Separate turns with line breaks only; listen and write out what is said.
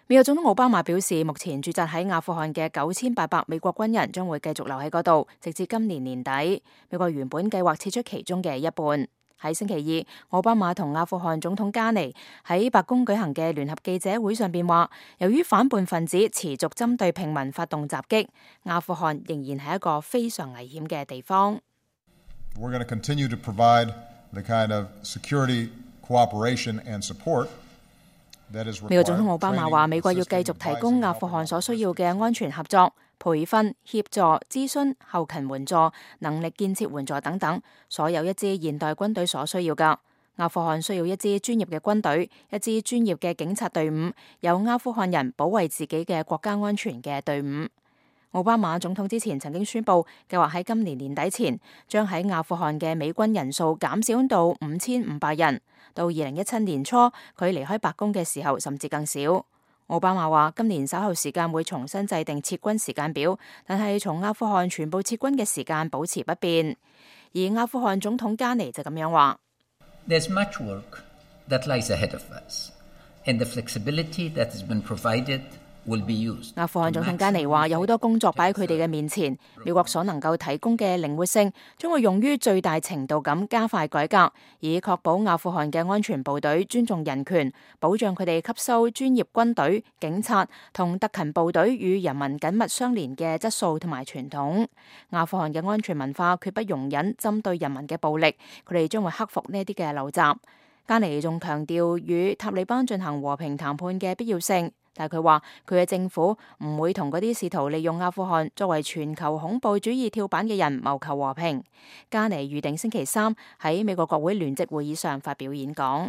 美國總統奧巴馬表示，目前駐紮喺阿富汗嘅9800美國軍人將會繼續留喺嗰度，直至今年年底。美國原本計劃撤出其中嘅一半。喺星期二，奧巴馬同阿富汗總統加尼喺白宮舉行嘅聯合記者會上邊話，由於反叛分子持續針對平民發動襲擊，阿富汗仍然係一個非常危險嘅地方。
We're going to continue to provide the kind of security cooperation and support。
美國總統奧巴馬話，美國要繼續提供阿富汗所需要嘅安全合作、培訓、協助、諮詢、後勤援助、能力建設援助等等，所有一支現代軍隊所需要㗎。阿富汗需要一支專業嘅軍隊，一支專業嘅警察隊伍，有阿富汗人保衛自己嘅國家安全嘅隊伍。奧巴馬總統之前曾經宣布，計劃喺今年年底前將喺阿富汗嘅美軍人數減少到5500人。到2017年初，佢離開白宮嘅時候，甚至更少。奧巴馬話，今年稍後時間會重新制定撤軍時間表，但係從阿富汗全部撤軍嘅時間保持不變。而阿富汗總統加尼就咁樣話
：There's much work that lies ahead of us, and the flexibility that has been provided。
阿富汗總統加尼話，有好多工作擺喺佢哋嘅面前，美國所能夠提供嘅靈活性將會用於最大程度咁加快改革，以確保阿富汗嘅安全部隊尊重人權，保障佢哋吸收專業軍隊、警察同特勤部隊與人民緊密相連嘅質素同埋傳統。阿富汗嘅安全文化決不容忍針對人民嘅暴力，佢哋將會克服呢啲嘅陋習。加尼仲強調與塔利班進行和平談判嘅必要性。但係佢話，佢嘅政府唔會同嗰啲試圖利用阿富汗作為全球恐怖主義跳板嘅人謀求和平。加尼預定星期3喺美國國會聯席會議上發表演講。